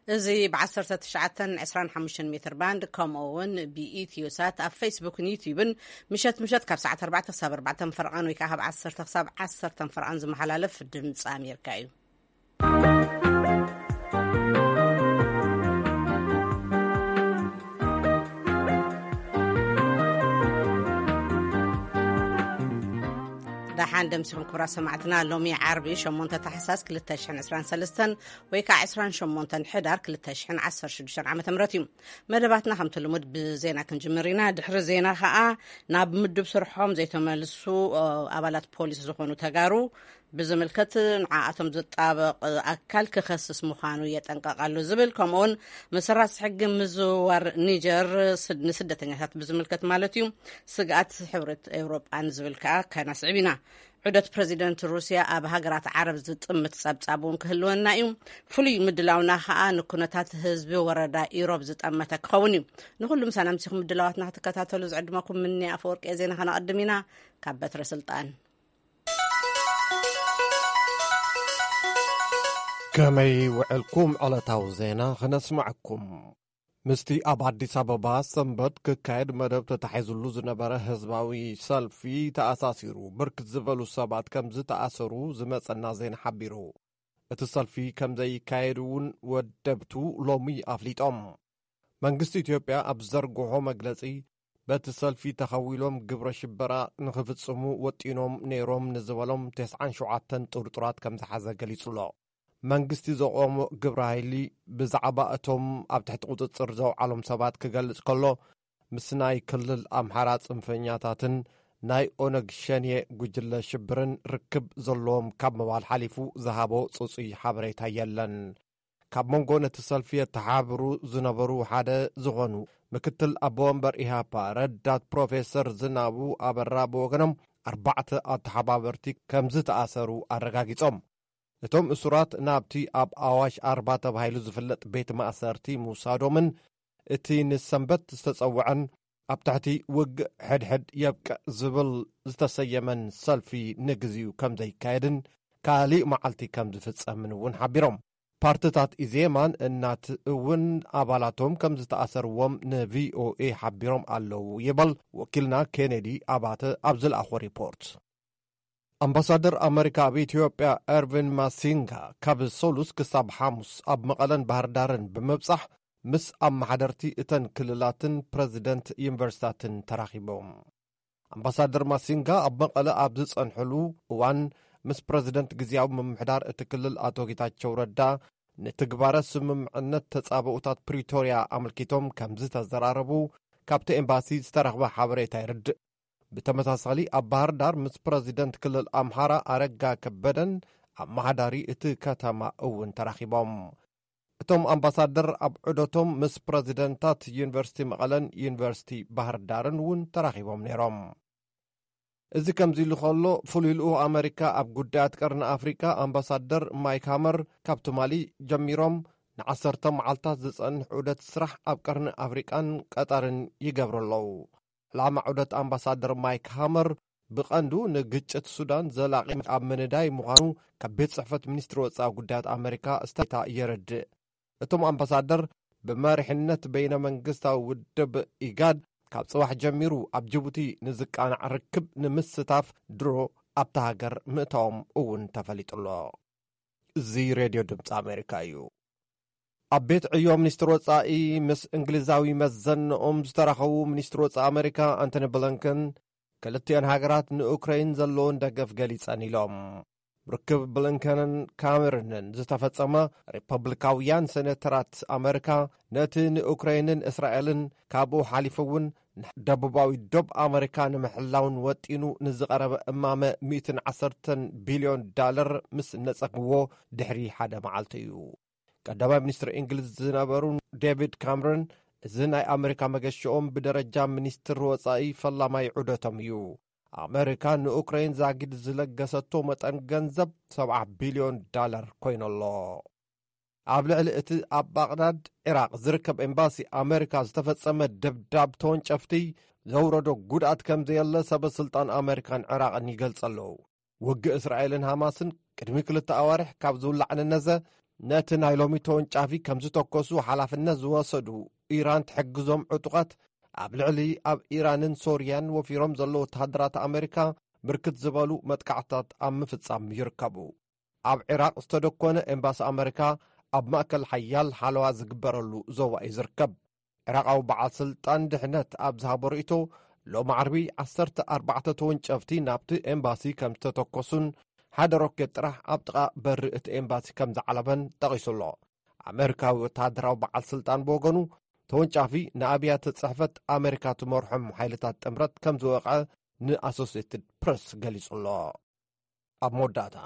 እዚ ብ1925 ሜትር ባንድ፣ ከምኡ እውን ብኢትዮ ሳት ኣብ ፌስቡክን ዩቲዩብን፣ ምሸት ምሸት ካብ ሰዓት ኣርባዕተ ክሳብ ኣርባዕተ ፈርቓን ወይ ከዓ ካብ ዓሰርተ ክሳብ ዓሰርተ ፈርቓን ዝመሓላለፍ ድምፂ ኣሜሪካ እዩ። ደሓን ደምሲኹም ክቡራት ሰማዕትና። ሎሚ ዓርቢ ሸሞንተ ታሕሳስ ክልተ ሽሕን ዕስራን ሰለስተን ወይ ከዓ ዕስራን ሸሞንተን ሕዳር ክልተ ሽሕን ዓሰርተ ሽዱሽተን ዓመተ ምህረት እዩ። መደባትና ከምቲ ልሙድ ብዜና ክንጅምር ኢና። ድሕሪ ዜና ከዓ ናብ ምዱብ ስርሖም ዘይተመልሱ፣ እ፣ ኣባላት ፖሊስ ዝኾኑ ተጋሩ ብዝምልከት ንዓኣቶም ዝጣበቕ ኣካል ክኸስስ ምዃኑ የጠንቀቕ ኣሎ ዝብል፣ ከምኡውን መሰራት ሕጊ ምዝውዋር ኒጀር ስድ-፣ ንስደተኛታት ብዝምልከት ማለት እዩ፣ ስግኣት ሕብረት ኤውሮጳን ዝብል ከዓ ከነስዕብ ኢና። ዑደት ፕረዚደንት ሩስያ ኣብ ሃገራት ዓረብ ዝጥምት ጸብጻብ እውን ክህልወና እዩ። ፍሉይ ምድላውና ከዓ ንኩነታት ህዝቢ ወረዳ ኢሮብ ዝጠመተ ክኸውን እዩ። ንኹሉ ምሳና ምሲኹም ምድላዋትና ክትከታተሉ ዝዕድመኩም ምኒ ኣፈወርቂ ዜና ከነቐድም ኢና። ካብ በትረ ስልጣን። ከመይ ውዕልኩም? ዕለታዊ ዜና ክነስማዕኩም። ምስቲ ኣብ ኣዲስ ኣበባ ሰንበት ክካየድ መደብ ተታሒዙሉ ዝነበረ ህዝባዊ ሰልፊ ተኣሳሲሩ፣ ብርክት ዝበሉ ሰባት ከም ዝተኣሰሩ ዝመጸና ዜና ሓቢሩ። እቲ ሰልፊ ከም ዘይካየድ እውን ወደብቱ ሎሚ ኣፍሊጦም። መንግስቲ ኢትዮጵያ ኣብ ዘርግሖ መግለጺ፣ በቲ ሰልፊ ተኸዊሎም ግብረ ሽበራ ንኽፍጽሙ ወጢኖም ነይሮም ንዝበሎም ተስዓን ሸውዓተን ጥርጡራት ከም ዝሓዘ ገሊጹ ኣሎ። መንግስቲ ዘቆሞ ግብረ ሃይሊ ብዛዕባ እቶም ኣብ ትሕቲ ቁጽጽር ዘውዓሎም ሰባት ክገልጽ ከሎ፣ ምስ ናይ ክልል ኣምሓራ ጽንፈኛታትን ናይ ኦነግ ሸኔ ጉጅለ ሽብርን ርክብ ዘለዎም ካብ ምባል ሓሊፉ ዝሃቦ ጽጹይ ሓበሬታ የለን። ካብ መንጎ ነቲ ሰልፊ የተሓብሩ ዝነበሩ ሓደ ዝኾኑ ምክትል ኣቦ ወንበር ኢሃፓ ረዳት ፕሮፌሰር ዝናቡ ኣበራ ብወገኖም፣ ኣርባዕተ ኣተሓባበርቲ ከም ዝተኣሰሩ ኣረጋጊጾም። እቶም እሱራት ናብቲ ኣብ ኣዋሽ ኣርባ ተባሂሉ ዝፍለጥ ቤት ማእሰርቲ ምውሳዶምን እቲ ንሰንበት ዝተጸውዐን ኣብ ትሕቲ ውግእ ሕድሕድ የብቅዕ ዝብል ዝተሰየመን ሰልፊ ንግዚኡ ከም ዘይካየድን ካልእ መዓልቲ ከም ዝፍጸምን እውን ሓቢሮም። ፓርትታት ኢዜማን እናት እውን ኣባላቶም ከም ዝተኣሰርዎም ንቪኦኤ ሓቢሮም ኣለዉ ይበል ወኪልና ኬኔዲ ኣባተ ኣብ ዝለኣኾ ሪፖርት። ኣምባሳደር ኣመሪካ ኣብ ኢትዮጵያ ኤርቪን ማሲንጋ ካብ ሰሉስ ክሳብ ሓሙስ ኣብ መቐለን ባህር ዳርን ብምብጻሕ ምስ ኣመሓደርቲ እተን ክልላትን ፕረዚደንት ዩኒቨርሲታትን ተራኺቦም። ኣምባሳደር ማሲንጋ ኣብ መቐለ ኣብ ዝጸንሕሉ እዋን ምስ ፕረዚደንት ግዝያዊ ምምሕዳር እቲ ክልል ኣቶ ጌታቸው ረዳ ንትግባረ ስምምዕነት ተጻብኡታት ፕሪቶርያ ኣመልኪቶም ከም ዝተዘራረቡ ካብቲ ኤምባሲ ዝተረኽበ ሓበሬታ የርድእ። ብተመሳሳሊ ኣብ ባህር ዳር ምስ ፕረዚደንት ክልል ኣምሓራ ኣረጋ ከበደን ኣመሓዳሪ እቲ ከተማ እውን ተራኺቦም። እቶም ኣምባሳደር ኣብ ዑደቶም ምስ ፕረዚደንታት ዩኒቨርሲቲ መቐለን ዩኒቨርሲቲ ባህር ዳርን እውን ተራኺቦም ነይሮም። እዚ ከምዚ ኢሉ ከሎ፣ ፍሉይ ልኡኽ ኣመሪካ ኣብ ጉዳያት ቀርኒ ኣፍሪቃ ኣምባሳደር ማይክ ሃመር ካብ ትማሊ ጀሚሮም ንዓሰርተ መዓልታት ዝጸንሕ ዑደት ስራሕ ኣብ ቀርኒ ኣፍሪቃን ቀጠርን ይገብሩ ኣለዉ። ዕላማ ዑደት ኣምባሳደር ማይክ ሃመር ብቐንዱ ንግጭት ሱዳን ዘላቒ ኣብ ምንዳይ ምዃኑ ካብ ቤት ጽሕፈት ሚኒስትሪ ወጻኢ ጉዳያት ኣመሪካ ስታታ የረድእ። እቶም ኣምባሳደር ብመሪሕነት በይነ መንግስታዊ ውድብ ኢጋድ ካብ ጽባሕ ጀሚሩ ኣብ ጅቡቲ ንዝቃናዕ ርክብ ንምስታፍ ድሮ ኣብታ ሃገር ምእታዎም እውን ተፈሊጡ ኣሎ። እዚ ሬድዮ ድምፂ ኣሜሪካ እዩ። ኣብ ቤት ዕዮ ሚኒስትር ወጻኢ ምስ እንግሊዛዊ መዘንኦም ዝተራኸቡ ሚኒስትር ወጻኢ ኣሜሪካ ኣንቶኒ ብሊንከን፣ ክልቲኦን ሃገራት ንኡክረይን ዘለውን ደገፍ ገሊጸን ኢሎም። ርክብ ብሊንከንን ካሜሩንን ዝተፈጸመ፣ ሪፐብሊካውያን ሴኔተራት ኣሜሪካ ነቲ ንኡክረይንን እስራኤልን፣ ካብኡ ሓሊፉ እውን ንደቡባዊ ዶብ ኣሜሪካ ንምሕላውን ወጢኑ ንዝቐረበ እማመ ሚእትን ዓሰርተን ቢልዮን ዳለር ምስ ነጸግዎ ድሕሪ ሓደ መዓልቲ እዩ። ቀዳማይ ሚኒስትር እንግሊዝ ዝነበሩ ዴቪድ ካምረን፣ እዚ ናይ ኣሜሪካ መገሽኦም ብደረጃ ሚኒስትር ወጻኢ ፈላማይ ዑደቶም እዩ። ኣሜሪካ ንኡክረይን ዛጊድ ዝለገሰቶ መጠን ገንዘብ ሰብዓ ቢልዮን ዳላር ኮይኑ'ሎ። ኣብ ልዕሊ እቲ ኣብ ባቕዳድ፣ ዒራቕ ዝርከብ ኤምባሲ ኣሜሪካ ዝተፈጸመ ደብዳብ ተወንጨፍቲ ዘውረዶ ጉድኣት ከም ዘየለ ሰበ ስልጣን ኣሜሪካን ዒራቕን ይገልጸ ኣለዉ። ውግእ እስራኤልን ሃማስን ቅድሚ ክልተ ኣዋርሕ ካብ ዝውላዕ ንነዘ፣ ነቲ ናይ ሎሚ ተወንጫፊ ከም ዝተኮሱ ሓላፍነት ዝወሰዱ ኢራን ትሕግዞም ዕጡቓት ኣብ ልዕሊ ኣብ ኢራንን ሶርያን ወፊሮም ዘለዉ ወተሃደራት ኣሜሪካ ብርክት ዝበሉ መጥቃዕትታት ኣብ ምፍጻም ይርከቡ። ኣብ ዒራቕ ዝተደኮነ ኤምባሲ ኣመሪካ ኣብ ማእከል ሓያል ሓለዋ ዝግበረሉ ዞባ እዩ ዝርከብ። ዒራቓዊ በዓል ስልጣን ድሕነት ኣብ ዝሃቦ ርእይቶ፣ ሎሚ ዓርቢ ዓሰርተ ኣርባዕተ ተወንጨፍቲ ናብቲ ኤምባሲ ከም ዝተተኮሱን ሓደ ሮኬት ጥራሕ ኣብ ጥቓ በሪ እቲ ኤምባሲ ከም ዝዓለበን ጠቒሱ ኣሎ። ኣመሪካዊ ወተሃደራዊ በዓል ስልጣን ብወገኑ፣ ተወንጫፊ ንኣብያተ ጽሕፈት ኣመሪካ ትመርሖም ሓይልታት ጥምረት ከም ዝወቕዐ ንኣሶሴትድ ፕረስ ገሊጹ ኣሎ። ኣብ መወዳእታ፣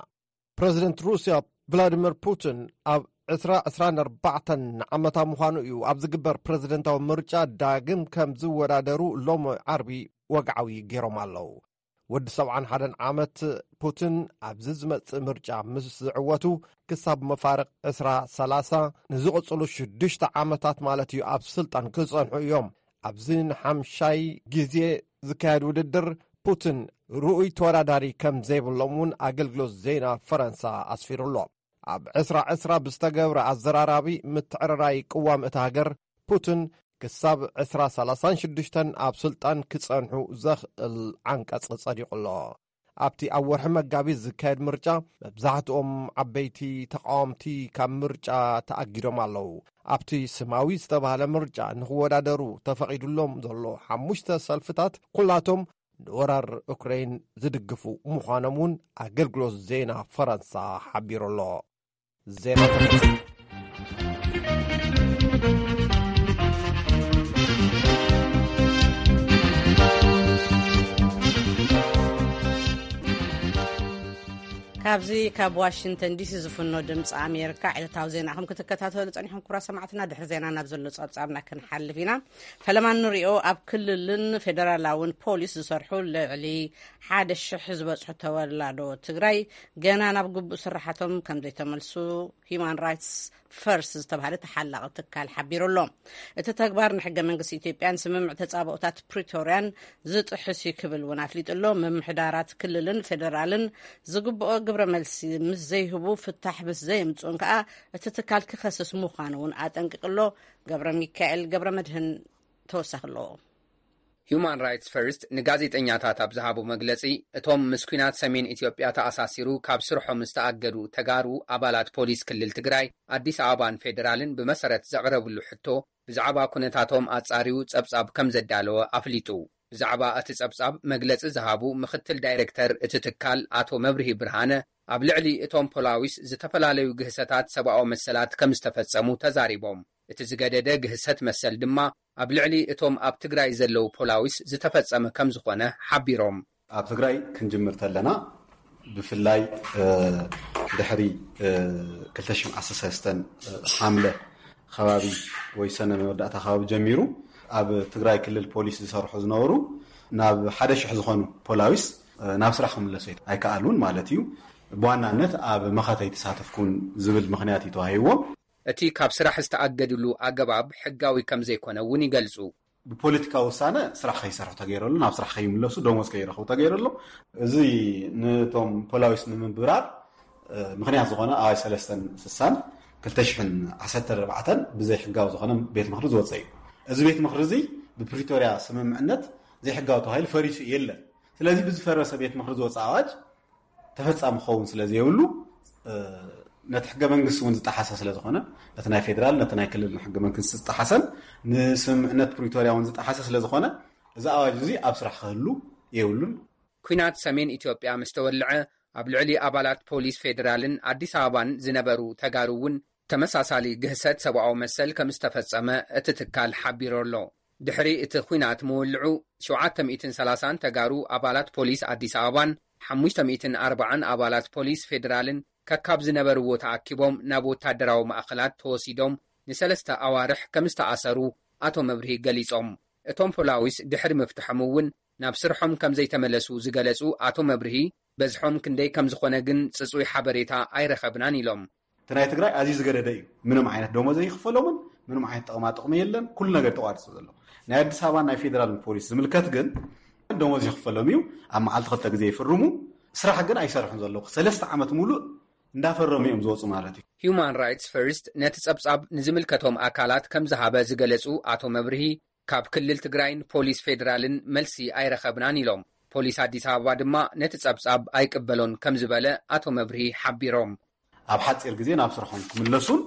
ፕረዚደንት ሩስያ ቭላዲሚር ፑቲን ኣብ ዕስራ ዕስራን ኣርባዕተን ዓመታ ምዃኑ እዩ ኣብ ዝግበር ፕረዚደንታዊ ምርጫ ዳግም ከም ዝወዳደሩ ሎሚ ዓርቢ ወግዓዊ ገይሮም ኣለዉ። ወዲ ሰብዓን ሓደን ዓመት ፑቲን ኣብዚ ዝመጽእ ምርጫ ምስ ዝዕወቱ ክሳብ መፋርቕ ዕስራ ሰላሳ ንዝቕጽሉ ሽዱሽተ ዓመታት ማለት እዩ ኣብ ስልጣን ክጸንሑ እዮም። ኣብዚ ንሓምሻይ ግዜ ዝካየድ ውድድር ፑቲን ርኡይ ተወዳዳሪ ከም ዘይብሎም እውን ኣገልግሎት ዜና ፈረንሳ ኣስፊሩ ኣሎ። ኣብ ዕስራ ዕስራ ብዝተገብረ ኣዘራራቢ ምትዕርራይ ቅዋም እታ ሃገር፣ ፑቲን ክሳብ ዕስራ ሰላሳን ሽዱሽተን ኣብ ስልጣን ክጸንሑ ዘኽእል ዓንቀጽ ጸዲቑ ኣሎ። ኣብቲ ኣብ ወርሒ መጋቢት ዝካየድ ምርጫ፣ መብዛሕትኦም ዓበይቲ ተቓወምቲ ካብ ምርጫ ተኣጊዶም ኣለዉ። ኣብቲ ስማዊ ዝተባህለ ምርጫ ንኽወዳደሩ ተፈቒዱሎም ዘሎ ሓሙሽተ ሰልፍታት፣ ኩላቶም ንወራር ኡክረይን ዝድግፉ ምዃኖም እውን ኣገልግሎት ዜና ፈረንሳ ሓቢሩ ኣሎ። ዜና ካብዚ ካብ ዋሽንግተን ዲሲ ዝፍኖ ድምፂ ኣሜሪካ ዕለታዊ ዜናኹም ክትከታተሉ ፀኒሖም። ክቡራት ሰማዕትና፣ ድሕሪ ዜና ናብ ዘሎ ፀብፃብና ክንሓልፍ ኢና። ፈለማ ንሪኦ፣ ኣብ ክልልን ፌደራላውን ፖሊስ ዝሰርሑ ልዕሊ ሓደ ሽሕ ዝበፅሑ ተወላዶ ትግራይ ገና ናብ ግቡእ ስራሓቶም ከም ዘይተመልሱ ሂዩማን ራይትስ ፈርስት ዝተባህለ ተሓላቒ ትካል ሓቢሩ ኣሎ። እቲ ተግባር ንሕገ መንግስቲ ኢትዮጵያን ስምምዕ ተጻብኦታት ፕሪቶርያን ዝጥሕስ እዩ ክብል እውን ኣፍሊጡ ኣሎ። ምምሕዳራት ክልልን ፌደራልን ዝግብኦ ግብረ መልሲ ምስ ዘይህቡ፣ ፍታሕ ምስ ዘየምጽኡን ከኣ እቲ ትካል ክኸስስ ምዃኑ እውን ኣጠንቂቑ ኣሎ። ገብረ ሚካኤል ገብረ መድህን ተወሳኺ ኣለዎ። ሂዩማን ራይትስ ፈርስት ንጋዜጠኛታት ኣብ ዝሃቦ መግለጺ፣ እቶም ምስ ኲናት ሰሜን ኢትዮጵያ ተኣሳሲሩ ካብ ስርሖም ዝተኣገዱ ተጋሩ ኣባላት ፖሊስ ክልል ትግራይ፣ ኣዲስ ኣበባን ፌደራልን ብመሰረት ዘቕረብሉ ሕቶ ብዛዕባ ኩነታቶም ኣጻርዩ ጸብጻብ ከም ዘዳለወ ኣፍሊጡ። ብዛዕባ እቲ ጸብጻብ መግለጺ ዝሃቡ ምኽትል ዳይሬክተር እቲ ትካል ኣቶ መብርሂ ብርሃነ፣ ኣብ ልዕሊ እቶም ፖላዊስ ዝተፈላለዩ ግህሰታት ሰብኣዊ መሰላት ከም ዝተፈጸሙ ተዛሪቦም። እቲ ዝገደደ ግህሰት መሰል ድማ ኣብ ልዕሊ እቶም ኣብ ትግራይ ዘለዉ ፖላዊስ ዝተፈጸመ ከም ዝኾነ ሓቢሮም። ኣብ ትግራይ ክንጅምር ተለና፣ ብፍላይ፣ እ፣ ድሕሪ፣ እ፣ ክልተ ሽሕን ዓሰርተ ሰለስተን፣ እ፣ ሓምለ ከባቢ ወይ ሰነ መወዳእታ ከባቢ ጀሚሩ ኣብ ትግራይ ክልል ፖሊስ ዝሰርሑ ዝነበሩ ናብ ሓደ ሽሕ ዝኾኑ ፖላዊስ፣ እ፣ ናብ ስራሕ ክምለሱ ኣይከኣሉን ማለት እዩ። ብዋናነት ኣብ መኸተ ኣይተሳተፍኩን ዝብል ምኽንያት እዩ ተዋሂብዎም። እቲ ካብ ስራሕ ዝተኣገድሉ ኣገባብ ሕጋዊ ከም ዘይኮነ እውን ይገልጹ። ብፖለቲካዊ ውሳነ ስራሕ ከይሰርሑ ተገይረሉ፣ ናብ ስራሕ ከይምለሱ፣ ደሞዝ ከይረኽቡ ተገይረሉ። እዚ ነቶም ፖላዊስ ንምብራር፣ እ፣ ምኽንያት ዝኾነ ኣዋጅ ሰለስተን ስሳን ክልተ ሽሕን ዓሰርተ ኣርባዕተን ብዘይ ሕጋዊ ዝኾነ ቤት ምኽሪ ዝወፀ እዩ። እዚ ቤት ምኽሪ እዚ ብፕሪቶርያ ስምምዕነት ዘይሕጋዊ ተባሂሉ ፈሪሱ የለን። ስለዚ ብዝፈረሰ ቤት ምኽሪ ዝወፀ ኣዋጅ ተፈጻሚ ክኸውን ስለ ዘይብሉ፣ እ፣ ነቲ ሕገ መንግስቲ እውን ዝጠሓሰ ስለ ዝኾነ፣ ነቲ ናይ ፌደራል፣ ነቲ ናይ ክልል ሕገ መንግስቲ ዝጠሓሰን ንስምምዕነት ፕሪቶርያ እውን ዝጠሓሰ ስለ ዝኾነ፣ እዚ ኣዋጅ እዚ ኣብ ስራሕ ክህሉ የብሉን። ኲናት ሰሜን ኢትዮጵያ ምስ ተወልዐ፣ ኣብ ልዕሊ ኣባላት ፖሊስ ፌደራልን ኣዲስ ኣበባን ዝነበሩ ተጋሩ እውን ተመሳሳሊ ግህሰት ሰብኣዊ መሰል ከም ዝተፈጸመ እቲ ትካል ሓቢሩ ኣሎ። ድሕሪ እቲ ኲናት ምውልዑ፣ ሸውዓተ ሚእትን ሰላሳን ተጋሩ ኣባላት ፖሊስ ኣዲስ ኣበባን ሓሙሽተ ሚእትን ኣርባዓን ኣባላት ፖሊስ ፌደራልን ከካብ ዝነበርዎ ተኣኪቦም ናብ ወታደራዊ ማእኸላት ተወሲዶም ንሰለስተ ኣዋርሕ ከም ዝተኣሰሩ ኣቶ መብርሂ ገሊጾም። እቶም ፖላዊስ ድሕሪ ምፍትሖም እውን ናብ ስርሖም ከም ዘይተመለሱ ዝገለጹ ኣቶ መብርሂ፣ በዝሖም ክንደይ ከም ዝኾነ ግን ጽጹይ ሓበሬታ ኣይረኸብናን ኢሎም። እቲ ናይ ትግራይ ኣዝዩ ዝገደደ እዩ። ምንም ዓይነት ደሞዝ ዘይኽፈሎምን ምንም ዓይነት ጥቕማ ጥቕሚ የለን። ኩሉ ነገር ተቋሪፁ ዘሎ። ናይ ኣዲስ ኣበባ ናይ ፌደራል ፖሊስ ዝምልከት ግን ደሞዝ ይኽፈሎም እዩ። ኣብ መዓልቲ ክልተ ግዜ ይፍርሙ። ስራሕ ግን ኣይሰርሑን ዘለዉ። ሰለስተ ዓመት ሙሉእ እንዳፈረሙ እዮም ዝወፁ ማለት እዩ። ሂዩማን ራይትስ ፈርስት ነቲ ጸብጻብ ንዝምልከቶም ኣካላት ከም ዝሃበ ዝገለጹ ኣቶ መብርሂ፣ ካብ ክልል ትግራይን ፖሊስ ፌዴራልን መልሲ ኣይረኸብናን ኢሎም። ፖሊስ ኣዲስ ኣበባ ድማ ነቲ ጸብጻብ ኣይቅበሎን ከም ዝበለ ኣቶ መብርሂ ሓቢሮም። ኣብ ሓፂር ግዜ ናብ ስርሖም ክምለሱን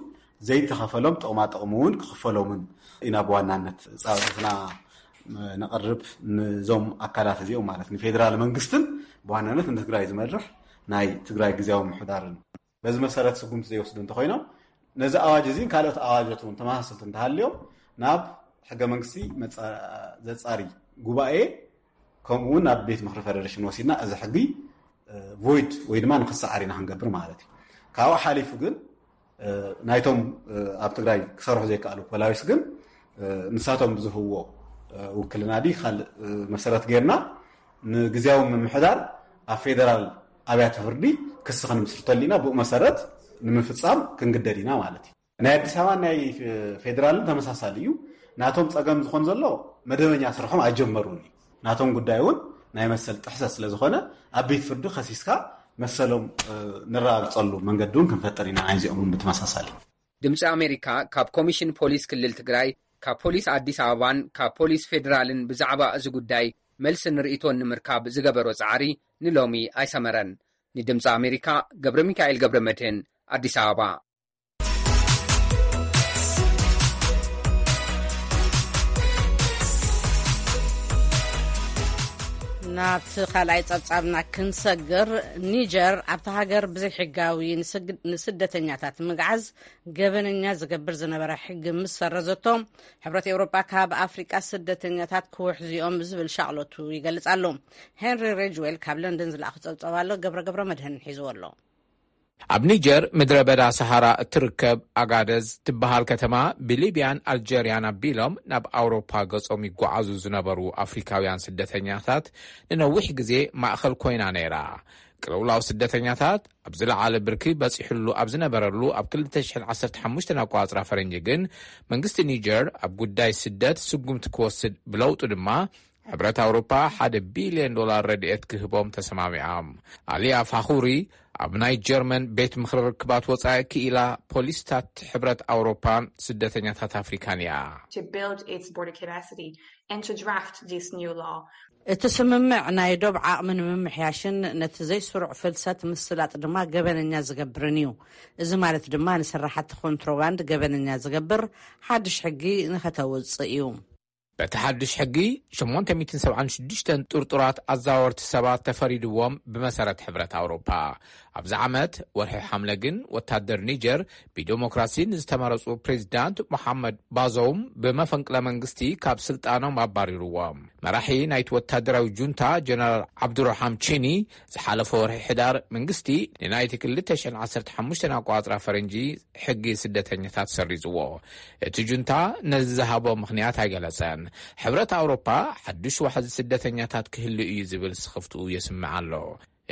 ዘይተኸፈሎም ጥቕማ ጥቕሚ እውን ክኽፈሎምን ኢና ብዋናነት ፃውዒትና ነቕርብ። ንዞም ኣካላት እዚኦም ማለት ንፌዴራል መንግስትን ብዋናነት ንትግራይ ዝመርሕ ናይ ትግራይ ግዜያዊ ምምሕዳርን በዚ መሰረት ስጉምቲ ዘይወስዱ እንተኮይኖም፣ ነዚ ኣዋጅ እዚን ካልኦት ኣዋጃት እውን ተመሳሰልቲ እንተሃልዮም ናብ ሕገ መንግስቲ መፃ- ዘፃሪ ጉባኤ ከምኡ እውን ናብ ቤት ምክሪ ፌደሬሽን ወሲድና እዚ ሕጊ ቮይድ ወይ ድማ ንክሰዓር ኢና ክንገብር ማለት እዩ። ካብኡ ሓሊፉ ግን ናይቶም ኣብ ትግራይ ክሰርሑ ዘይከኣሉ ፖላዊስ ግን ንሳቶም ብዝህዎ ውክልና ዲ ካልእ መሰረት ጌርና ንግዜያዊ ምምሕዳር ኣብ ፌደራል ኣብያተ ፍርዲ ክሲ ክንምስርተሉ ኢና። ብኡ መሰረት ንምፍፃም ክንግደድ ኢና ማለት እዩ። ናይ ኣዲስ ኣበባ ናይ ፌደራልን ተመሳሳሊ እዩ። ናቶም ፀገም ዝኾን ዘሎ መደበኛ ስርሖም ኣይጀመሩን እዩ። ናቶም ጉዳይ እውን ናይ መሰል ጥሕሰት ስለ ዝኾነ ኣብ ቤት ፍርዲ ከሲስካ መሰሎም ንረጋግፀሉ መንገዲ እውን ክንፈጥር ኢና። ናይዚኦም እውን ብተመሳሳሊ ድምፂ ኣሜሪካ ካብ ኮሚሽን ፖሊስ ክልል ትግራይ፣ ካብ ፖሊስ ኣዲስ ኣበባን ካብ ፖሊስ ፌዴራልን ብዛዕባ እዚ ጉዳይ መልስን ርእይቶን ንምርካብ ዝገበሮ ጻዕሪ ንሎሚ ኣይሰመረን። ንድምፂ ኣሜሪካ ገብረ ሚካኤል ገብረ መድህን፣ ኣዲስ ኣበባ። ናብቲ ካልኣይ ጸብጻብና ክንሰግር፣ ኒጀር ኣብቲ ሃገር ብዘይሕጋዊ ንስደተኛታት ምግዓዝ ገበነኛ ዝገብር ዝነበረ ሕጊ ምስ ሰረዘቶ፣ ሕብረት ኤውሮጳ ካብ ኣፍሪቃ ስደተኛታት ክውሕዙ እዮም ዝብል ሻቕሎቱ ይገልጽ ኣሎ። ሄንሪ ሬጅዌል ካብ ለንደን ዝለኣኹ ጸብጻብ ኣሎ፣ ገብረ ገብረ መድህን ሒዝዎ ኣሎ። ኣብ ኒጀር ምድረ በዳ ሰሃራ እትርከብ ኣጋደዝ ትበሃል ከተማ ብሊብያን ኣልጀርያን ኣቢሎም ናብ ኣውሮፓ ገጾም ይጓዓዙ ዝነበሩ ኣፍሪካውያን ስደተኛታት ንነዊሕ ግዜ ማእኸል ኮይና ነይራ። ቅልውላው ስደተኛታት ኣብ ዝለዓለ ብርኪ በጺሕሉ ኣብ ዝነበረሉ ኣብ ክልተ ሽሕን ዓሰርተ ሓሙሽተን ኣቋጽራ ፈረንጂ ግን መንግስቲ ኒጀር ኣብ ጉዳይ ስደት ስጉምቲ ክወስድ ብለውጡ ድማ ሕብረት ኣውሮፓ ሓደ ቢልዮን ዶላር ረድኤት ክህቦም ተሰማሚዖም። ኣሊያ ፋኹሪ ኣብ ናይ ጀርመን ቤት ምኽሪ ርክባት ወጻኢ ክኢላ ፖሊስታት ሕብረት ኣውሮፓን ስደተኛታት ኣፍሪካን እያ። to build its border capacity and to draft this new law. እቲ ስምምዕ ናይ ዶብ ዓቕሚ ንምምሕያሽን ነቲ ዘይስሩዕ ፍልሰት ምስላጥ ድማ ገበነኛ ዝገብርን እዩ። እዚ ማለት ድማ ንስራሕቲ ኮንትሮባንድ ገበነኛ ዝገብር ሓድሽ ሕጊ ንኸተውፅእ እዩ። በቲ ሓድሽ ሕጊ ሸሞንተ ሚእትን ሰብዓን ሽዱሽተን ጥርጡራት ኣዛወርቲ ሰባት ተፈሪድዎም። ብመሰረት ሕብረት ኣውሮፓ ኣብዚ ዓመት ወርሒ ሓምለ ግን ወታደር ኒጀር ብዴሞክራሲ ንዝተመረጹ ፕሬዚዳንት ሞሓመድ ባዞውም ብመፈንቅለ መንግስቲ ካብ ስልጣኖም ኣባሪርዎም። መራሒ ናይቲ ወታደራዊ ጁንታ ጀነራል ዓብዱራሓም ቺኒ ዝሓለፈ ወርሒ ሕዳር መንግስቲ ንናይቲ ክልተ ሽሕን ዓሰርተ ሓሙሽተን ኣቋጽራ ፈረንጂ ሕጊ ስደተኛታት ሰሪዝዎ። እቲ ጁንታ ነዚ ዝሃቦ ምኽንያት ኣይገለጸን። ሕብረት ኣውሮፓ ሓዱሽ ዋሕዚ ስደተኛታት ክህሉ እዩ ዝብል ስኽፍትኡ የስምዕ ኣሎ።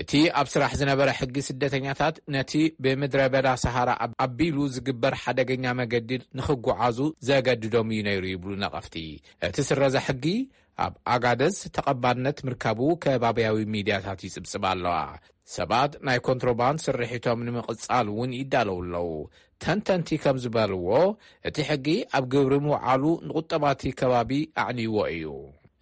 እቲ ኣብ ስራሕ ዝነበረ ሕጊ ስደተኛታት ነቲ ብምድረ በዳ ሰሃራ ኣቢሉ ዝግበር ሓደገኛ መገዲ ንኽጓዓዙ ዘገድዶም እዩ ነይሩ ይብሉ ነቐፍቲ። እቲ ስረዛ ሕጊ ኣብ ኣጋደዝ ተቐባልነት ምርካቡ ከባብያዊ ሚድያታት ይጽብጽባ ኣለዋ። ሰባት ናይ ኮንትሮባንድ ስርሒቶም ንምቕጻል እውን ይዳለዉ ኣለዉ። ተንተንቲ ከም ዝበልዎ እቲ ሕጊ ኣብ ግብሪ ምውዓሉ ንቁጠባቲ ከባቢ ኣዕንይዎ እዩ።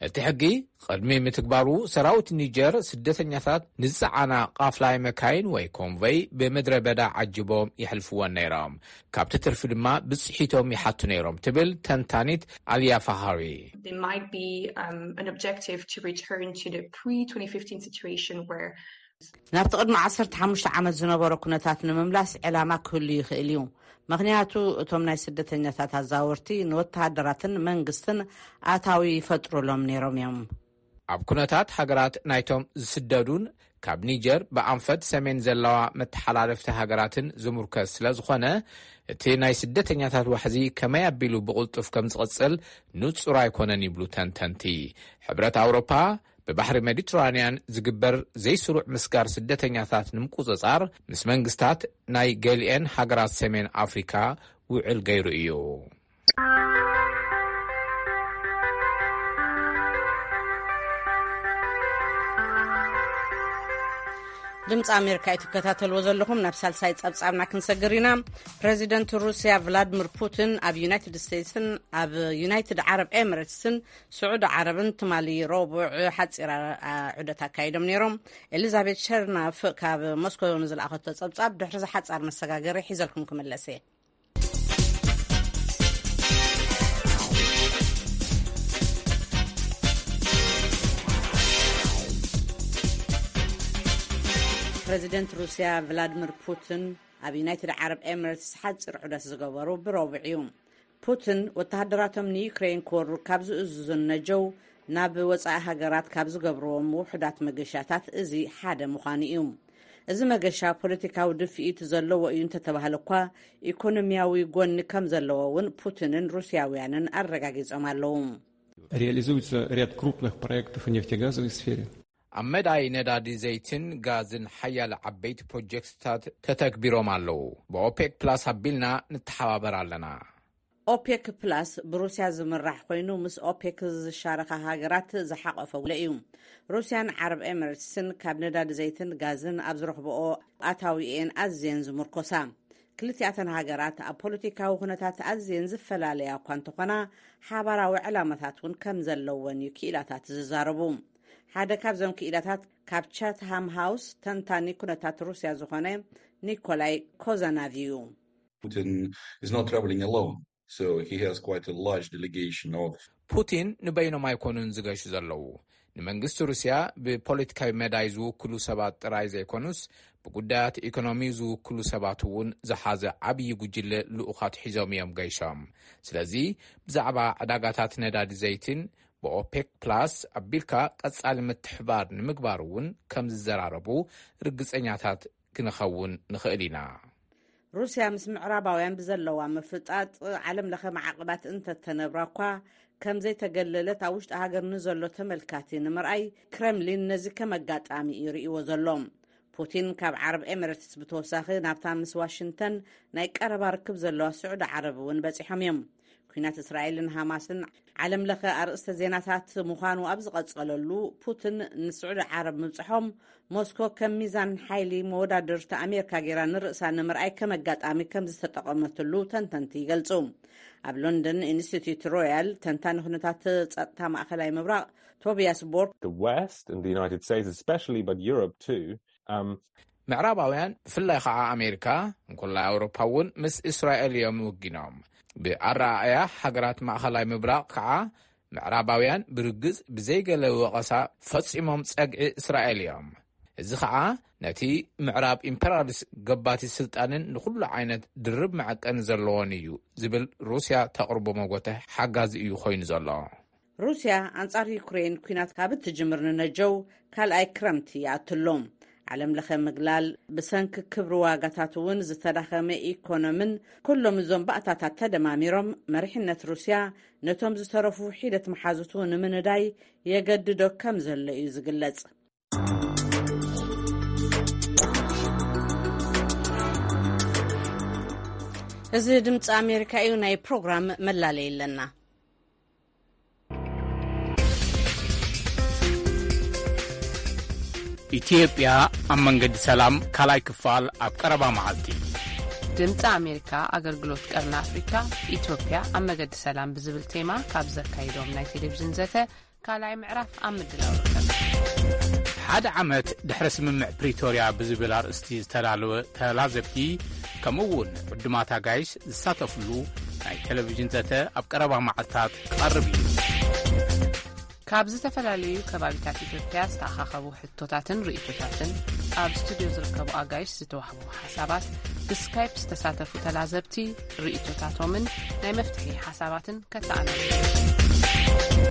እቲ ሕጊ ቅድሚ ምትግባሩ ሰራዊት ኒጀር ስደተኛታት ንዝጸዓና ቃፍላይ መካይን ወይ ኮንቨይ ብምድረ በዳ ዓጅቦም ይሕልፍወን ነይሮም። ካብቲ ትርፊ ድማ ብጽሒቶም ይሓቱ ነይሮም ትብል ተንታኒት ኣልያ ፋሃሪ። There might be um, an objective to return to the pre twenty fifteen situation where ናብቲ ቅድሚ ዓሰርተ ሓሙሽተ ዓመት ዝነበሮ ኩነታት ንምምላስ ዕላማ ክህሉ ይኽእል እዩ። ምኽንያቱ እቶም ናይ ስደተኛታት ኣዛወርቲ ንወተሃደራትን መንግስትን ኣታዊ ይፈጥሩሎም ነይሮም እዮም። ኣብ ኩነታት ሃገራት ናይቶም ዝስደዱን ካብ ኒጀር ብኣንፈት ሰሜን ዘለዋ መተሓላለፍቲ ሃገራትን ዝምርከስ ስለ ዝኾነ እቲ ናይ ስደተኛታት ዋሕዚ ከመይ ኣቢሉ ብቕልጡፍ ከም ዝቕጽል ንጹር ኣይኮነን ይብሉ ተንተንቲ። ሕብረት ኣውሮፓ ብባሕሪ ሜዲትራንያን ዝግበር ዘይስሩዕ ምስጋር ስደተኛታት ንምቁጽጻር ምስ መንግስታት ናይ ገሊኤን ሃገራት ሰሜን ኣፍሪካ ውዕል ገይሩ እዩ። ድምፂ ኣሜሪካ እዩ ትከታተልዎ ዘለኹም። ናብ ሳልሳይ ጸብጻብና ክንሰግር ኢና። ፕሬዚደንት ሩስያ ቭላድሚር ፑቲን ኣብ ዩናይትድ ስቴትስን ኣብ ዩናይትድ ዓረብ ኤምሬትስን ስዑዲ ዓረብን ትማሊ ረቡዕ ሓጺር ዑደት ኣካይዶም ነይሮም። ኤሊዛቤት ሸርናፍ ካብ ሞስኮ ንዝለኣኸቶ ጸብጻብ ድሕሪ ዝሓጻር መሰጋገሪ ሒዘልኩም ክምለስ እየ። ፕረዚደንት ሩስያ ቭላድሚር ፑቲን ኣብ ዩናይትድ ዓረብ ኤምሬትስ ሓጺር ዑደት ዝገበሩ ብረቡዕ እዩ። ፑቲን ወተሃደራቶም ንዩክሬን ክወሩ ካብ ዝእዝዙን ነጀው ናብ ወጻኢ ሃገራት ካብ ዝገብርዎም ውሑዳት መገሻታት እዚ ሓደ ምዃኑ እዩ። እዚ መገሻ ፖለቲካዊ ድፍኢት ዘለዎ እዩ እንተተባህለ እኳ፣ ኢኮኖሚያዊ ጎኒ ከም ዘለዎ እውን ፑቲንን ሩስያውያንን ኣረጋጊጾም ኣለዉ። Реализуется ряд крупных проектов в нефтегазовой сфере. ኣብ መዳይ ነዳዲ ዘይትን ጋዝን ሓያለ ዓበይቲ ፕሮጀክትታት ተተግቢሮም ኣለዉ። ብኦፔክ ፕላስ ኣቢልና ንተሓባበር ኣለና። ኦፔክ ፕላስ ብሩስያ ዝምራሕ ኮይኑ፣ ምስ ኦፔክ ዝሻረኻ ሃገራት ዝሓቆፈ ውዕል እዩ። ሩስያን ዓረብ ኤምሬትስን ካብ ነዳዲ ዘይትን ጋዝን ኣብ ዝረኽብኦ ኣታዊኤን ኣዝየን ዝምርኮሳ። ክልቲኣተን ሃገራት ኣብ ፖለቲካዊ ኩነታት ኣዝየን ዝፈላለያ እኳ እንተኾና፣ ሓባራዊ ዕላማታት እውን ከም ዘለወን እዩ ክኢላታት ዝዛረቡ። ሓደ ካብዞም ክኢላታት ካብ ቻትሃም ሃውስ ተንታኒ ኩነታት ሩስያ ዝኾነ ኒኮላይ ኮዛናቭ እዩ። Putin is not traveling alone, so he has quite a large delegation of ፑቲን ንበይኖም ኣይኮኑን ዝገሹ ዘለዉ። ንመንግስቲ ሩስያ ብፖለቲካዊ መዳይ ዝውክሉ ሰባት ጥራይ ዘይኮኑስ፣ ብጉዳያት ኢኮኖሚ ዝውክሉ ሰባት እውን ዝሓዘ ዓብዪ ጉጅለ ልኡኻት ሒዞም እዮም ገይሾም። ስለዚ ብዛዕባ ዕዳጋታት ነዳዲ ዘይትን ብኦፔክ ፕላስ ኣቢልካ ቀጻሊ ምትሕባር ንምግባር እውን ከም ዝዘራረቡ ርግጸኛታት ክንኸውን ንኽእል ኢና። ሩስያ ምስ ምዕራባውያን ብዘለዋ ምፍጣጥ ዓለም ለኸ ማዕቕባት እንተተነብራ እኳ፣ ከም ዘይተገለለት ኣብ ውሽጢ ሃገር ንዘሎ ተመልካቲ ንምርኣይ፣ ክረምሊን ነዚ ከም ኣጋጣሚ እዩ ርእይዎ ዘሎ። ፑቲን ካብ ዓረብ ኤምሬትስ ብተወሳኺ ናብታ ምስ ዋሽንግተን ናይ ቀረባ ርክብ ዘለዋ ስዑዲ ዓረብ እውን በጺሖም እዮም። ኩናት እስራኤልን ሃማስን ዓለም ለኸ ኣርእስተ ዜናታት ምዃኑ ኣብ ዝቐጸለሉ፣ ፑቲን ንስዑዲ ዓረብ ምብጽሖም፣ ሞስኮ ከም ሚዛን ሓይሊ መወዳድርቲ ኣሜሪካ ገይራ ንርእሳ ንምርኣይ ከም ኣጋጣሚ ከም ዝተጠቐመትሉ ተንተንቲ ይገልጹ። ኣብ ሎንደን ኢንስቲትዩት ሮያል ተንታኒ ኩነታት ጸጥታ ማእኸላይ ምብራቕ ቶቢያስ ቦርክ፣ The West and the United States, especially, but Europe too, um, ምዕራባውያን ብፍላይ ከዓ ኣሜሪካ፣ እንኮላይ ኣውሮፓ እውን ምስ እስራኤል እዮም ወጊኖም። ብኣረኣእያ ሃገራት ማእኸላይ ምብራቕ ከዓ ምዕራባውያን ብርግጽ ብዘይገለ ወቐሳ ፈጺሞም ጸግዒ እስራኤል እዮም። እዚ ከዓ ነቲ ምዕራብ ኢምፔሪያሊስት ገባቲ ስልጣንን ንኹሉ ዓይነት ድርብ መዐቀኒ ዘለዎን እዩ ዝብል ሩስያ ተቕርቦ መጎተ ሓጋዚ እዩ ኮይኑ ዘሎ። ሩስያ ኣንጻር ዩክሬን ኲናት ካብ እትጅምር ንነጀው ካልኣይ ክረምቲ ይኣትሎም። ዓለም ለኸ ምግላል ብሰንኪ ክብሪ ዋጋታት እውን ዝተዳኸመ ኢኮኖምን ኩሎም እዞም ባእታታት ተደማሚሮም መሪሕነት ሩስያ ነቶም ዝተረፉ ሒደት መሓዙቱ ንምንዳይ የገድዶ ከም ዘሎ እዩ ዝግለጽ። እዚ ድምፂ ኣሜሪካ እዩ። ናይ ፕሮግራም መላለይ ኣለና። ኢትዮጵያ ኣብ መንገዲ ሰላም ካልኣይ ክፋል ኣብ ቀረባ መዓልቲ። ድምፂ ኣሜሪካ ኣገልግሎት ቀርኒ ኣፍሪካ፣ ኢትዮጵያ ኣብ መገዲ ሰላም ብዝብል ቴማ ካብ ዘካይዶም ናይ ቴሌቪዥን ዘተ ካልኣይ ምዕራፍ ኣብ ምድላው ይርከብ። ሓደ ዓመት ድሕሪ ስምምዕ ፕሪቶርያ ብዝብል ኣርእስቲ ዝተዳለወ ተላዘብቲ፣ ከምኡ እውን ዕዱማት ኣጋይሽ ዝሳተፍሉ ናይ ቴሌቪዥን ዘተ ኣብ ቀረባ መዓልታት ክቐርብ እዩ። ካብ ዝተፈላለዩ ከባቢታት ኢትዮጵያ ዝተኣኻኸቡ ሕቶታትን ርእይቶታትን፣ ኣብ ስቱድዮ ዝርከቡ ኣጋይሽ ዝተዋህቡ ሓሳባት፣ ብስካይፕ ዝተሳተፉ ተላዘብቲ ርእይቶታቶምን ናይ መፍትሒ ሓሳባትን ከተኣናግዱ።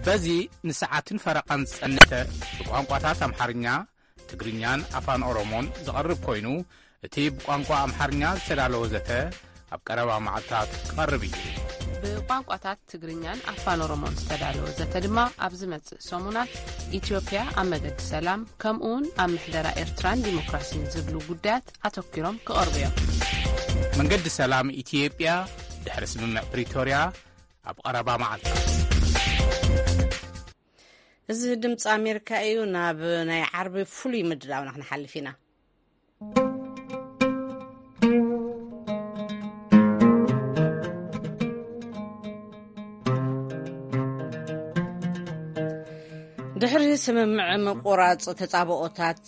በዚ ንሰዓትን ፈረቓን ዝጸንተ ብቋንቋታት ኣምሓርኛ፣ ትግርኛን ኣፋን ኦሮሞን ዝቐርብ ኮይኑ፣ እቲ ብቋንቋ ኣምሓርኛ ዝተዳለወ ዘተ ኣብ ቀረባ መዓልታት ክቐርብ እዩ። ብቋንቋታት ትግርኛን ኣፋን ኦሮሞን ዝተዳለወ ዘተ ድማ ኣብ ዝመጽእ ሰሙናት ኢትዮጵያ ኣብ መገዲ ሰላም፣ ከምኡውን ኣብ ምሕደራ ኤርትራን ዲሞክራሲን ዝብሉ ጉዳያት ኣተኲሮም ክቐርቡ እዮም። መንገዲ ሰላም ኢትዮጵያ ድሕሪ ስምምዕ ፕሪቶርያ ኣብ ቀረባ መዓልታት። እዚ ድምፂ ኣሜሪካ እዩ። ናብ ናይ ዓርቢ ፍሉይ ምድላውና ክንሓልፍ ኢና። ድሕሪ ስምምዕ ምቁራጽ ተጻብኦታት፣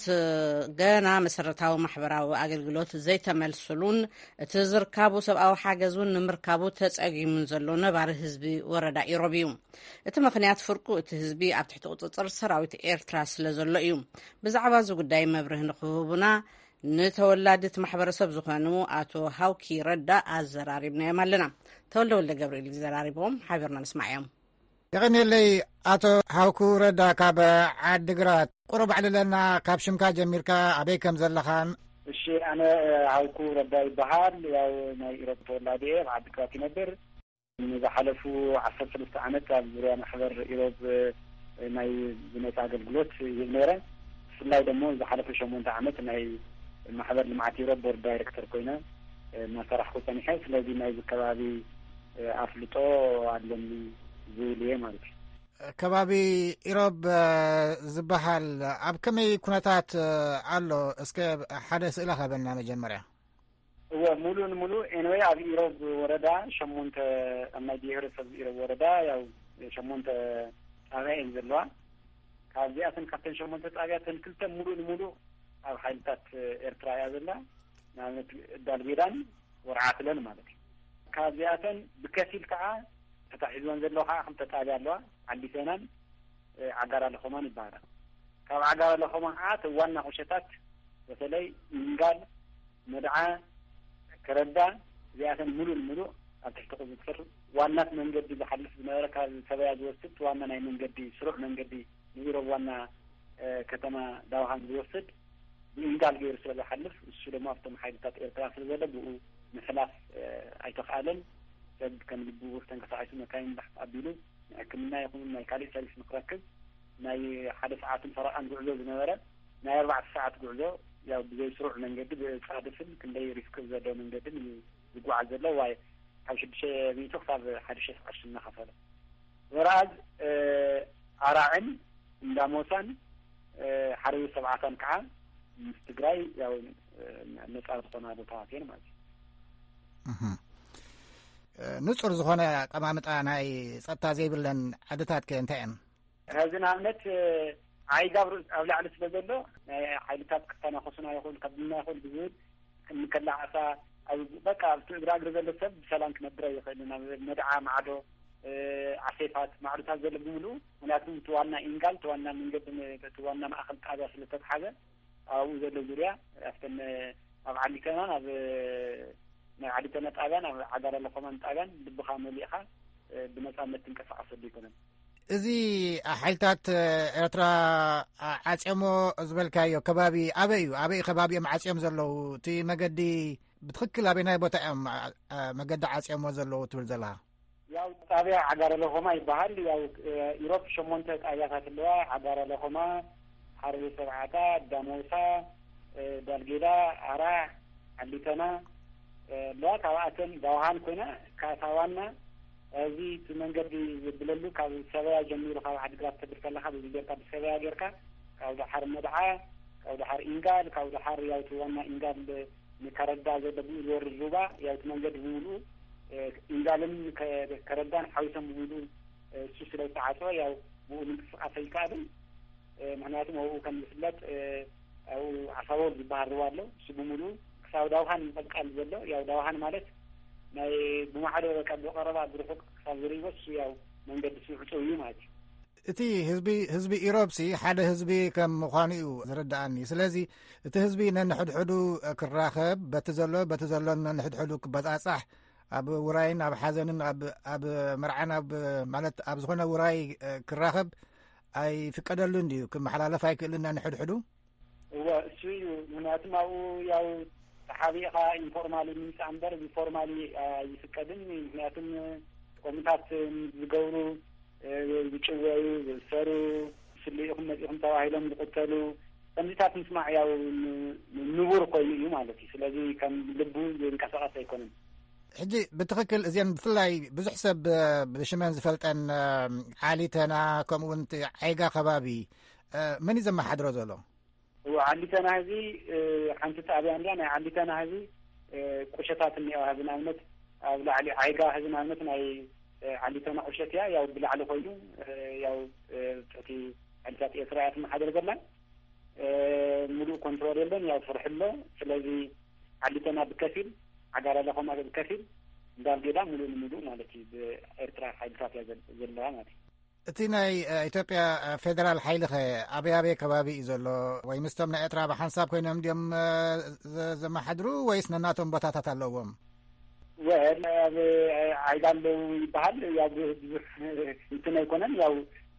ገና መሰረታዊ ማሕበራዊ ኣገልግሎት ዘይተመልስሉን እቲ ዝርካቡ ሰብኣዊ ሓገዝ እውን ንምርካቡ ተጸጊሙን ዘሎ ነባሪ ህዝቢ ወረዳ ኢሮብ እዩ። እቲ ምኽንያት ፍርቁ እቲ ህዝቢ ኣብ ትሕቲ ቁጽጽር ሰራዊት ኤርትራ ስለ ዘሎ እዩ። ብዛዕባ እዚ ጉዳይ መብርህ ንክህቡና ንተወላድት ማሕበረሰብ ዝኾኑ ኣቶ ሃውኪ ረዳ ኣዘራሪብናዮም ኣለና። ተወልደ ወልደ ገብርኤል እዩ ዘራሪቦም፣ ሓቢርና ንስማዕ እዮም። የቐንየለይ ኣቶ ሃውኩ ረዳ ካብ ዓድግራት። ቁሩብ ኣዕልለና፣ ካብ ሽምካ ጀሚርካ፣ ኣበይ ከም ዘለኻን። እሺ፣ ኣነ ሃውኩ ረዳ ይበሃል። ያው ናይ ኢሮብ ተወላዲ እየ፣ ኣብ ዓድግራት ይነብር። ንዝሓለፉ ዓሰርተ ሰለስተ ዓመት ኣብ ዙርያ ማሕበር ኢሮብ ናይ ብነጻ ኣገልግሎት ይህብ ነይረ። ብፍላይ ደሞ ዝሓለፈ ሸሞንተ ዓመት ናይ ማሕበር ልምዓት ኢሮብ ቦርድ ዳይሬክተር ኮይነ እናሰራሕኩ ጸኒሐ። ስለዚ ናይዚ ከባቢ ኣፍልጦ ኣለኒ ዝብል እየ ማለት እዩ። ከባቢ ኢሮብ ዝበሃል ኣብ ከመይ ኩነታት ኣሎ? እስከ ሓደ ስእሊ ሃበና መጀመርያ። እወ፣ ሙሉእ ንሙሉእ ኤንወይ ኣብ ኢሮብ ወረዳ ሸሞንተ፣ ኣብ ናይ ብሄረሰብ ኢሮብ ወረዳ ያው ሸሞንተ ጣብያ እየን ዘለዋ። ካብዚኣተን ካብተን ሸሞንተ ጣብያተን ክልተ ሙሉእ ንሙሉእ ኣብ ሓይልታት ኤርትራ እያ ዘላ። ንኣብነት ዳልጌዳን ወርዓትለን ማለት እዩ። ካብዚኣተን ብከፊል ከዓ ተታሒዝወን ዘለዋ ከዓ ክልተ ጣብያ ኣለዋ፣ ዓዲሰናን ዓጋራ ለኾማን ይበሃላ። ካብ ዓጋራ ለኾማ ከዓ እቲ ዋና ቁሸታት በተለይ ኢንጋል፣ መድዓ፣ ከረዳ እዚኣተን ሙሉእ ንሙሉእ ኣብ ትሕቲ ቁፅፅር ዋናት መንገዲ ዝሓልፍ ዝነበረ ካብ ሰበያ ዝወስድ ዋና ናይ መንገዲ ስሩዕ መንገዲ ንኢሮብ ዋና ከተማ ዳውሃን ዝወስድ ብኢንጋል ገይሩ ስለ ዝሓልፍ እሱ ድማ ኣብቶም ሓይልታት ኤርትራ ስለ ዘሎ ብኡ ምሕላፍ ኣይተኽኣለን። ሰብ ከም ልቡ ተንቀሳቒሱ መካይን ባሕት ኣቢሉ ንሕክምና ይኹን ናይ ካሊእ ሰርቪስ ንክረክብ ናይ ሓደ ሰዓትን ፈረቓን ጉዕዞ ዝነበረ ናይ ኣርባዕተ ሰዓት ጉዕዞ ያው ብዘይ ስሩዕ መንገዲ ብጻድፍን ክንደይ ሪስክ ዘለዎ መንገድን እዩ ዝጓዓዝ ዘሎ። ዋይ ካብ ሽዱሽተ ሚእቲ ክሳብ ሓደ ሺሕ ቅርሺ እናኸፈለ ወርኣዝ ኣራዕን እንዳሞሳን ሓረዩ ሰብዓታን ከዓ ምስ ትግራይ ያው ነፃ ዝኾና ቦታታት እየን ማለት እዩ። ንፁር ዝኾነ ኣቀማምጣ ናይ ፀጥታ ዘይብለን ዓድታት ከ እንታይ እየን? ሕዚ ንኣብነት ዓይጋ ኣብ ላዕሊ ስለ ዘሎ ናይ ሓይልታት ክተናኸሱና ይኽእል ከብድና ይኽእል ብዝብል እንከላዓሳ በቃ ኣብቲ እግራ እግሪ ዘሎ ሰብ ብሰላም ክነብር ኣይኽእልን። ኣብ መድዓ ማዕዶ ዓሴፋት ማዕዶታት ዘሎ ብምሉኡ ምክንያቱም እቲ ዋና ኢንጋል እቲ ዋና መንገዲ እቲ ዋና ማእኸል ጣብያ ስለ ዝተትሓዘ ኣብኡ ዘሎ ዙርያ ኣብተን ኣብ ዓሊተናን ኣብ ናይ ዓሊተና ጣብያን ኣብ ዓጋራ ለኾማን ጣብያን ልብኻ መሊእኻ ብነፃነት ትንቀሳቐሰሉ ኣይኮነን። እዚ ሓይልታት ኤርትራ ዓፅዮሞ ዝበልካዮ ከባቢ ኣበይ እዩ? ኣበይ ከባቢ እዮም ዓፅዮም ዘለዉ? እቲ መገዲ ብትኽክል ኣበይ ናይ ቦታ እዮም መገዲ ዓፅዮሞ ዘለዉ ትብል ዘለኻ? ያው ጣብያ ዓጋረ ለኾማ ይበሃል። ያው ኢሮብ ሸሞንተ ጣብያታት ኣለዋ። ዓጋረ ለኾማ፣ ሓረሪ ሰብዓታ፣ ዳሞሳ፣ ዳልጌዳ፣ ኣራዕ፣ ዓሊተና ኣለዋ። ካብኣተን ዳውሃን ኮይና ካታ ዋና እዚ እቲ መንገዲ ዝብለሉ ካብ ሰበያ ጀሚሩ ካብ ዓድግራት ተብል ከለካ በዚ ጌርካ ብሰበያ ጌርካ ካብ ዳሓር መድዓ ካብ ዳሓር ኢንጋል ካብ ዳሓር ያው እቲ ዋና ኢንጋል ንከረዳ ዘሎ ብኡ ዝወርድ ሩባ ያው እቲ መንገዲ ብምሉኡ ኢንጋልን ከረዳን ሓዊሶም ብምሉኡ እሱ ስለ ዝተዓፀወ ያው ብኡ ምንቅስቃስ ኣይከኣልን። ምክንያቱም ኣብኡ ከም ዝፍለጥ ኣብኡ ዓሳቦል ዝበሃል ሩባ ኣሎ። እሱ ብምሉኡ ክሳብ ዳውሃን ምቕልቃል ዘሎ ያው ዳውሃን ማለት ናይ ብማዕዶ በቃ ብቐረባ ብርሑቅ ክሳብ ዝርእይዎ እሱ ያው መንገዲ ስውዕፁ እዩ ማለት እዩ። እቲ ህዝቢ ህዝቢ ኢሮብሲ ሓደ ህዝቢ ከም ምዃኑ እዩ ዝርድኣኒ። ስለዚ እቲ ህዝቢ ነንሕድሕዱ ክራኸብ በቲ ዘሎ በቲ ዘሎን ነንሕድሕዱ ክበጻጻሕ ኣብ ውራይን ኣብ ሓዘንን ኣብ ኣብ መርዓን ኣብ ማለት ኣብ ዝኾነ ውራይ ክራኸብ ኣይፍቀደሉን ድዩ? ክመሓላለፍ ኣይክእልን ነንሕድሕዱ? እወ እሱ እዩ። ምክንያቱም ኣብኡ ያው ተሓቢእኻ ኢንፎርማሊ ምምፃእ እምበር ብፎርማሊ ኣይፍቀድን። ምክንያቱም ቆምታት ዝገብሩ ዝጭወዩ ዝእሰሩ ስለ ኢኹም መፂኹም ተባሂሎም ዝቅተሉ ከምዚታት ምስማዕ ያው ንቡር ኮይኑ እዩ ማለት እዩ። ስለዚ ከም ልቡ ዝንቀሳቀስ ኣይኮነን። ሕጂ ብትኽክል እዚን ብፍላይ ብዙሕ ሰብ ብሽመን ዝፈልጠን ዓሊተና ከምኡ እውን ዓይጋ ከባቢ መን እዩ ዘመሓድሮ ዘሎ? እዎ ዓሊተና ህዚ ሓንቲ ጣብያ እንድያ ናይ ዓሊተና ህዚ ቁሸታት እኒኦ ህዚ ንኣብነት ኣብ ላዕሊ ዓይጋ ህዚ ንኣብነት ናይ ዓሊተና ቁሸት እያ ያው ብላዕሊ ኮይኑ ያው ትሕቲ ሓይልታት ኤርትራ እያ ትመሓደር ዘላ። እ፣ ሙሉእ ኮንትሮል የለን፣ ያው ፍርሒ ኣሎ። ስለዚ ዓሊቶና ብከፊል፣ ዓጋራለ ኸማ ብከፊል፣ እንዳልጌዳ ሙሉእ ንሙሉእ ማለት እዩ ብኤርትራ ሓይልታት እያ ዘል-፣ ዘለዋ ማለት እዩ። እቲ ናይ፣ እ፣ ኢትዮጵያ፣ እ፣ ፌደራል ሓይሊ ኸ ኣበይ ኣበይ ከባቢ እዩ ዘሎ? ወይ ምስቶም ናይ ኤርትራ ብሓንሳብ ኮይኖም ድዮም፣ እ፣ ዘ-፣ ዘመሓድሩ ወይስ ነናቶም ቦታታት ኣለዎም? ወል ኣብ ዓይዳ ኣለዉ ይበሃል። ያው ብዙሕ እንትን ኣይኮነን። ያው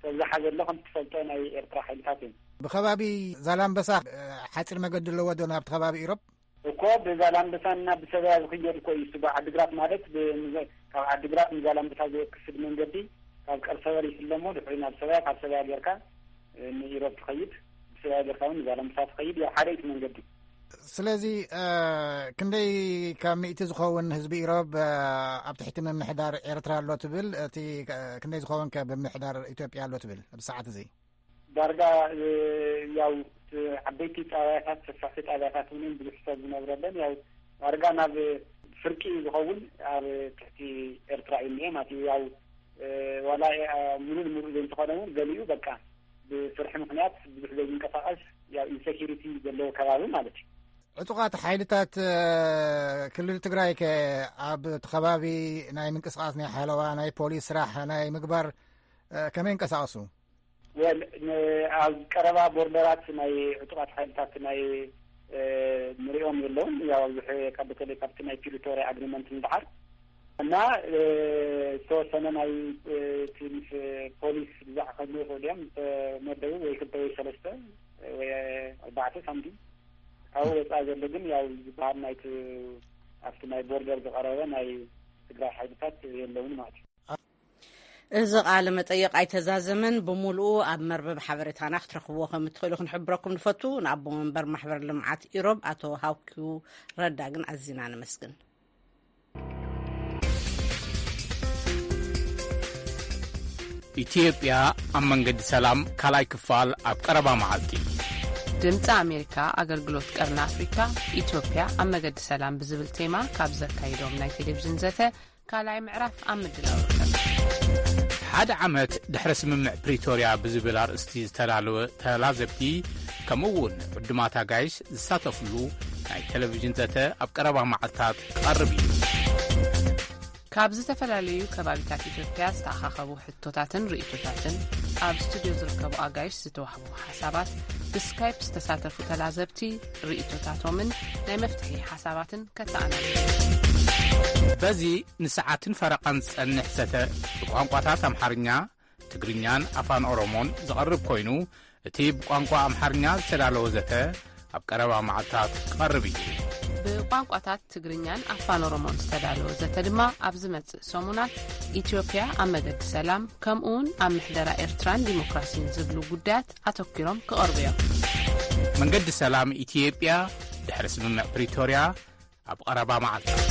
ተብዝሓ ዘሎ ከም ትፈልጦ ናይ ኤርትራ ሓይልታት እዮም። ብከባቢ ዛላምበሳ፣ እ፣ ሓፂር መገዲ ኣለዎ ዶ ናብቲ ከባቢ ኢሮብ? እኮ ብዛላምበሳና ብሰበያ ዝኽየድ እኮ እዩ። እሱ ብዓዲግራት ማለት ብ-፣ ካብ ዓዲግራት ንዛላምበሳ ዝወስድ መንገዲ ካብ ቀርሰበር ይፍለሞ ድሕሪ ናብ ሰበያ፣ ካብ ሰበያ ጌርካ፣ እ፣ ንኢሮብ ትኸይድ፣ ብሰበያ ጌርካ እውን ንዛላምበሳ ትኸይድ። ያው ሓደ እዩ እቲ መንገዲ። ስለዚ፣ እ፣ ክንደይ ካብ ሚእቲ ዝኸውን ህዝቢ ኢሮብ፣ እ፣ ኣብ ትሕቲ ምምሕዳር ኤርትራ ኣሎ ትብል? እቲ፣ እ፣ ክንደይ ዝኸውን ከ ብምምሕዳር ኢትዮጵያ ኣሎ ትብል ኣብዚ ሰዓት እዚ? ዳርጋ፣ እ፣ ያው፣ እ፣ ዓበይቲ ጣብያታት፣ ሰፋሕቲ ጣብያታት እውን ብዙሕ ሰብ ዝነብረለን፣ ያው፣ ዳርጋ ናብ ፍርቂ ዝኸውን ኣብ ትሕቲ ኤርትራ እዩ እኒኤ ማለት እዩ። ያው፣ እ፣ ዋላ፣ እ፣ ሙሉእ ንሙሉእ ዘይንተኾነ እውን ገሊኡ በቃ ብፍርሒ ምኽንያት ብዙሕ ዘይንቀሳቐስ፣ ያው፣ ኢንሴኪሪቲ ዘለዎ ከባቢ ማለት እዩ። ዕጡቓት ሓይልታት፣ እ፣ ክልል ትግራይ ከ ኣብ እቲ ከባቢ ናይ ምንቅስቓስ ናይ ሓለዋ፣ ናይ ፖሊስ ስራሕ ናይ ምግባር፣ እ፣ ከመይ ይንቀሳቐሱ? ወል፣ ን-፣ ኣብ ቀረባ ቦርደራት ናይ ዕጡቓት ሓይልታት ናይ፣ እ፣ ንሪኦም የለውን። ያው፣ ኣብዚ ሕ-፣ ካብ፣ በተለይ ካብቲ ናይ ፕሪቶርያ ኣግሪመንት ንድሓር እና፣ እ፣ ዝተወሰነ ናይ፣ እ፣ እቲ ምስ ፖሊስ ብዛዕ ከድኑ ይኽእሉ እዮም። ዝተመደቡ ወይ ክልተ ወይ ሰለስተ ወይ ኣርባዕተ ሳምቲም። ካብኡ ወፃኢ ዘሎ ግን ያው ዝበሃል ናይቲ ኣብቲ ናይ ቦርደር ዝቐረበ ናይ ትግራይ ሓይልታት የለውን ማለት እዩ። እዚ ቃለ መጠይቕ ኣይተዛዘመን፣ ብምሉኡ ኣብ መርበብ ሓበሬታና ክትረኽብዎ ከም እትኽእሉ ክንሕብረኩም ንፈቱ። ንኣቦ መንበር ማሕበር ልምዓት ኢሮብ ኣቶ ሃውኪው ረዳ ግን ኣዚና ነመስግን። ኢትዮጵያ ኣብ መንገዲ ሰላም ካልኣይ ክፋል ኣብ ቀረባ መዓልቲ። ድምፂ ኣሜሪካ ኣገልግሎት ቀርኒ ኣፍሪካ፣ ኢትዮጵያ ኣብ መገዲ ሰላም ብዝብል ቴማ ካብ ዘካይዶም ናይ ቴሌቪዥን ዘተ ካልኣይ ምዕራፍ ኣብ ምድላው ይርከብ። ሓደ ዓመት ድሕሪ ስምምዕ ፕሪቶርያ ብዝብል ኣርእስቲ ዝተዳለወ ተላዘብቲ፣ ከምኡ እውን ዕዱማት ኣጋይሽ ዝሳተፍሉ ናይ ቴሌቪዥን ዘተ ኣብ ቀረባ መዓልታት ክቐርብ እዩ። ካብ ዝተፈላለዩ ከባቢታት ኢትዮጵያ ዝተኣኻኸቡ ሕቶታትን ርእይቶታትን፣ ኣብ ስቱድዮ ዝርከቡ ኣጋይሽ ዝተዋህቡ ሓሳባት፣ ብስካይፕ ዝተሳተፉ ተላዘብቲ ርእይቶታቶምን ናይ መፍትሒ ሓሳባትን ከተኣናግድ። በዚ ንሰዓትን ፈረቓን ዝጸንሕ ዘተ ብቋንቋታት ኣምሓርኛ፣ ትግርኛን ኣፋን ኦሮሞን ዝቐርብ ኮይኑ፣ እቲ ብቋንቋ ኣምሓርኛ ዝተዳለወ ዘተ ኣብ ቀረባ መዓልታት ክቐርብ እዩ። ብቋንቋታት ትግርኛን ኣፋን ኦሮሞን ዝተዳለወ ዘተ ድማ ኣብ ዝመጽእ ሰሙናት ኢትዮጵያ ኣብ መገዲ ሰላም፣ ከምኡውን ኣብ ምሕደራ ኤርትራን ዲሞክራሲን ዝብሉ ጉዳያት ኣተኲሮም ክቐርቡ እዮም። መንገዲ ሰላም ኢትዮጵያ ድሕሪ ስምምዕ ፕሪቶርያ ኣብ ቀረባ መዓልታት።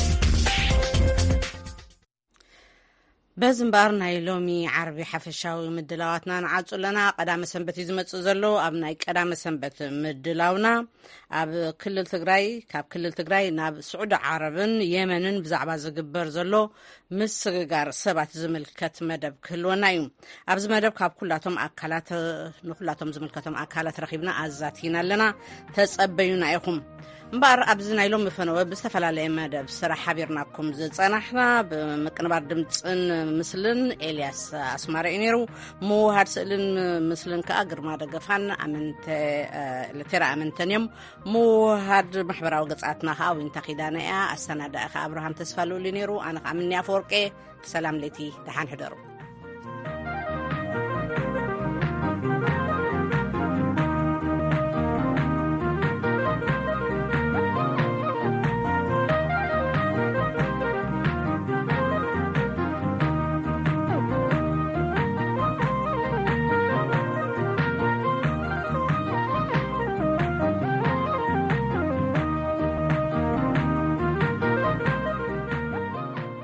በዚ እምበኣር ናይ ሎሚ ዓርቢ ሓፈሻዊ ምድላዋትና ንዓጹ ኣለና። ቀዳመ ሰንበት እዩ ዝመጽእ ዘሎ። ኣብ ናይ ቀዳመ ሰንበት ምድላውና ኣብ ክልል ትግራይ፣ ካብ ክልል ትግራይ ናብ ስዑዲ ዓረብን የመንን ብዛዕባ ዝግበር ዘሎ ምስግጋር ሰባት ዝምልከት መደብ ክህልወና እዩ። ኣብዚ መደብ ካብ ኩላቶም ኣካላት፣ ንኩላቶም ዝምልከቶም ኣካላት ረኺብና ኣዛቲና ኣለና። ተጸበዩና ኢኹም። እምበኣር ኣብዚ ናይ ሎሚ ፈነወ ብዝተፈላለየ መደብ ስራሕ ሓቢርናኩም ዝጸናሕና ብምቅንባር ድምጽን ምስልን ኤልያስ ኣስማረ እዩ ነይሩ። ምውሃድ ስእልን ምስልን ከኣ ግርማ ደገፋን ኣመንተ፣ እ፣ ለቴራ ኣመንተን እዮም። ምውሃድ ማሕበራዊ ገጻትና ከኣ ዊንታ ኪዳነ እያ። ኣሰናዳኢ ከኣ ኣብርሃም ተስፋ ልኡል እዩ ነይሩ። ኣነ ከኣ ምንያ ኣፈወርቄ። ሰላም ለይቲ፣ ደሓን ሕደሩ።